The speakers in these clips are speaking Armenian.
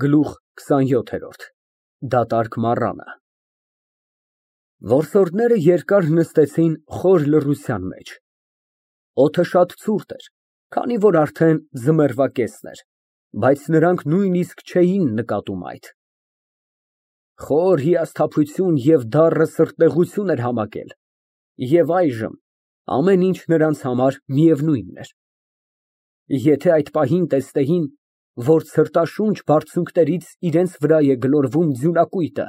Գլուխ 27 Դատարկ մառանը Որսորդները երկար նստեցին խոր լռության մեջ։ Օդը շատ ցուրտ էր, քանի որ արդեն ձմեռվա կեսն էր, բայց նրանք նույնիսկ չէին նկատում այդ։ Խոր հիասթափություն և դառը սրտնեղություն էր համակել, և այժմ ամեն ինչ նրանց համար միևնույնն էր։ Եթե այդ պահին տեսնեին, որ ցրտաշունչ բարձունքներից իրենց վրա է գլորվում ձյունակույտը,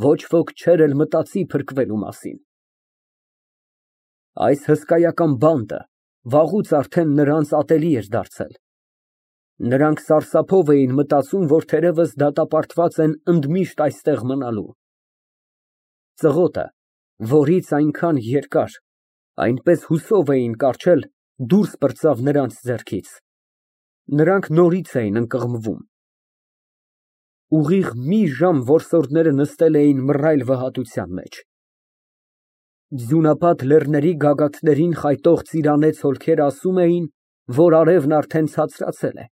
ոչ ոք չէր էլ մտածի փրկվելու մասին։ Այս հսկայական բանտը վաղուց արդեն նրանց ատելի էր դարձել։ Նրանք սարսափով էին մտածում, որ թերևս դատապարտված են ընդմիշտ այստեղ մնալու։ Ծղոտը, որից այնքան երկար, այնպես հուսով էին կառչել, դուրս պրծավ նրանց ձեռքից։ Նրանք նորից էին ընկղմվում։ Ուղիղ մի ժամ որսորդները նստել էին մռայլ վհատության մեջ։ Ձյունապատ լեռների գագաթներին խայտող ծիրանեց հոլքերը ասում էին, որ արևն արդեն ցածրացել է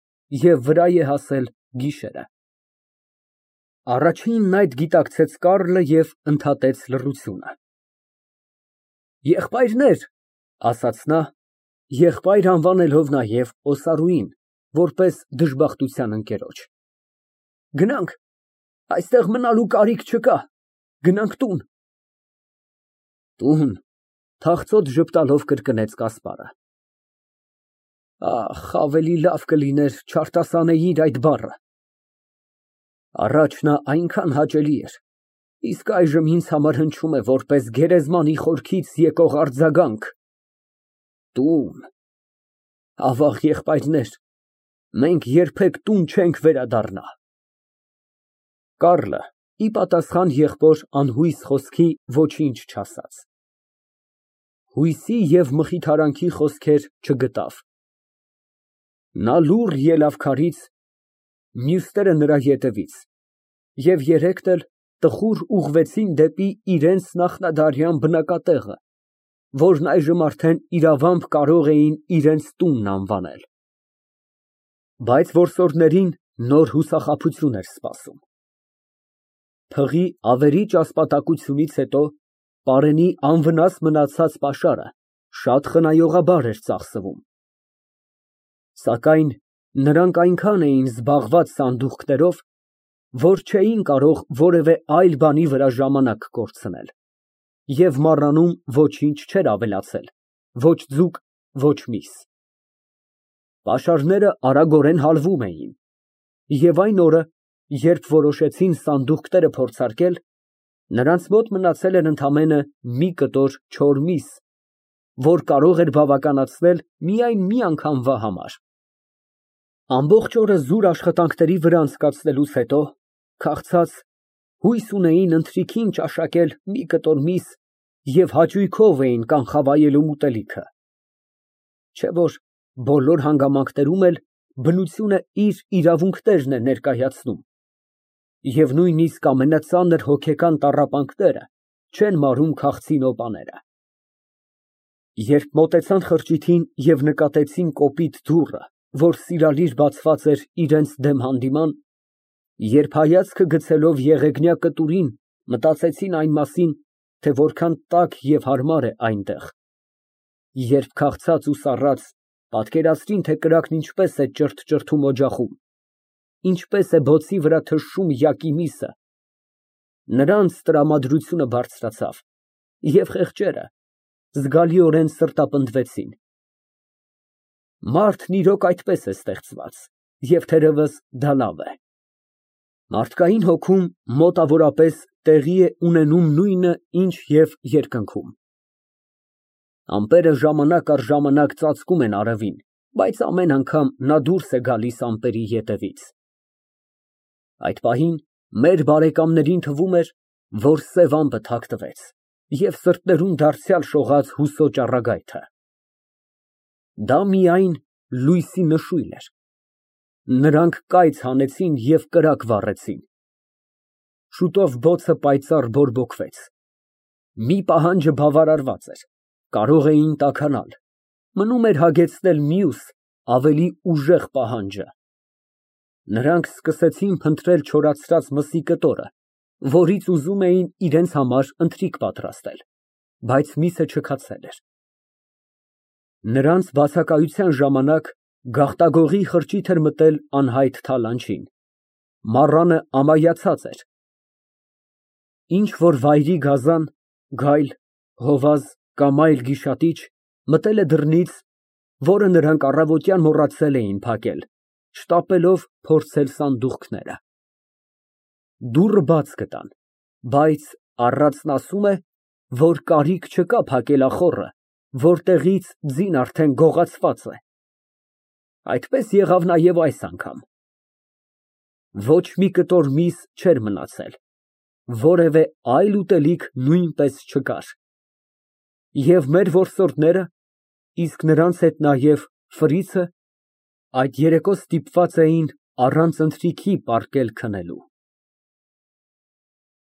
և վրա է հասել գիշերը։ Առաջինն այդ գիտակցեց Կարլը և ընդհատեց լռությունը։ Եղբայրներ, ասաց նա, եղբայր անվանելով նաև Օսարուին, որպես դժբախտության ընկերոջ, գնանք, այստեղ մնալու կարիք չկա, գնանք տուն։ Տուն, թախծոտ ժպտալով կրկնեց Կասպարը։ Ախ, ավելի լավ կլիներ չարտասանեիր այդ բառը։ Առաջ նա այնքան հաճելի էր, իսկ այժմ ինձ համար հնչում է որպես գերեզմանի խորքից եկող արձագանք։ Տուն, ավաղ եղբայրներ, մենք երբեք տուն չենք վերադառնա։ Կարլը, ի պատասխան եղբոր անհույս խոսքի, ոչինչ չասաց։ Հույսի և մխիթարանքի խոսքեր չգտավ։ Նա լուռ ելավ քարից, մյուսները նրա ետևից, և երեքն էլ տխուր ուղղվեցին դեպի իրենց նախնադարյան բնակատեղը, որն այժմ արդեն իրավամբ կարող էին իրենց տունն անվանել։ Բայց որսորդներին նոր հուսախաբություն էր սպասում։ Փղի ավերիչ ասպատակությունից հետո պարենի անվնաս մնացած պաշարը շատ խնայողաբար էր ծախսվում։ Սակայն նրանք այնքան էին զբաղված սանդուղքներով, որ չէին կարող որևէ այլ բանի վրա ժամանակ կորցնել, և մառանում ոչինչ չէր ավելացել, ոչ ձուկ, ոչ միս։ Պաշարները արագորեն հալվում էին, և այն օրը, երբ որոշեցին սանդուղքները փորձարկել, նրանց մոտ մնացել էր ընդամենը մի կտոր չոր միս, որ կարող էր բավականացնել միայն մի անգամվա համար։ Ամբողջ օրը զուր աշխատանքների վրա անցկացնելուց հետո, քաղցած, հույս ունեին ընթրիքին ճաշակել մի կտոր միս և հաճույքով էին կանխավայելում ուտելիքը։ Չէ՞ որ բոլոր հանգամանքներում էլ բնությունը իր իրավունքներն է ներկայացնում, և նույնիսկ ամենածանր հոգեկան տառապանքները չեն մարում քաղցի նոպաները։ Երբ մոտեցան խրճիթին և նկատեցին կոպիտ դուռը, որ սիրալիր բացված էր իրենց դեմ հանդիման, երբ հայացքը գցելով եղեգնյա կտուրին, մտածեցին այն մասին, թե որքան տաք և հարմար է այնտեղ, երբ քաղցած ու սառած, պատկերացրին, թե կրակն ինչպես է ճրթճրթում օջախում, ինչպես է բոցի վրա թշում յակի միսը, նրանց տրամադրությունը բարձրացավ, և խեղճերը զգալիորեն սրտապնդվեցին։ Մարդն իրոք այդպես է ստեղծված, և թերևս դա լավ է։ Մարդկային հոգում մոտավորապես տեղի է ունենում նույնը, ինչ և երկնքում։ Ամպերը ժամանակ առ ժամանակ ծածկում են արևին, բայց ամեն անգամ նա դուրս է գալիս ամպերի ետևից։ Այդ պահին մեր բարեկամներին թվում էր, որ սև ամպը թաքնվեց, և սրտերում դարձյալ շողաց հուսո ճառագայթը։ Դա միայն լույսի նշույլ էր։ Նրանք կայծ հանեցին և կրակ վառեցին։ Շուտով բոցը պայծառ բորբոքվեց։ Մի պահանջը բավարարված էր, կարող էին տաքանալ, մնում էր հագեցնել մյուս, ավելի ուժեղ պահանջը։ Նրանք սկսեցին փնտրել չորացած մսի կտորը, որից ուզում էին իրենց համար ընթրիք պատրաստել, բայց միսը չքացել էր։ Նրանց բացակայության ժամանակ գաղտագողի խրճիթ էր մտել անհայտ թալանչին, մառանը ամայացած էր։ Ինչ որ վայրի գազան, գայլ, հովազ կամ այլ գիշատիչ մտել է դռնից, որը նրանք առավոտյան մոռացել էին փակել, շտապելով փորձել սանդուղքները։ Դուռը բաց գտան, բայց առածն ասում է, որ կարիք չկա փակել ախոռը, որտեղից ձին արդեն գողացված է։ Այդպես եղավ նաև այս անգամ։ Ոչ մի կտոր միս չէր մնացել, որևէ այլ ուտելիք նույնպես չկար։ Եվ մեր որսորդները, իսկ նրանց հետ նաև Ֆրիցը, այդ երեկո ստիպված էին առանց ընթրիքի պառկել քնելու։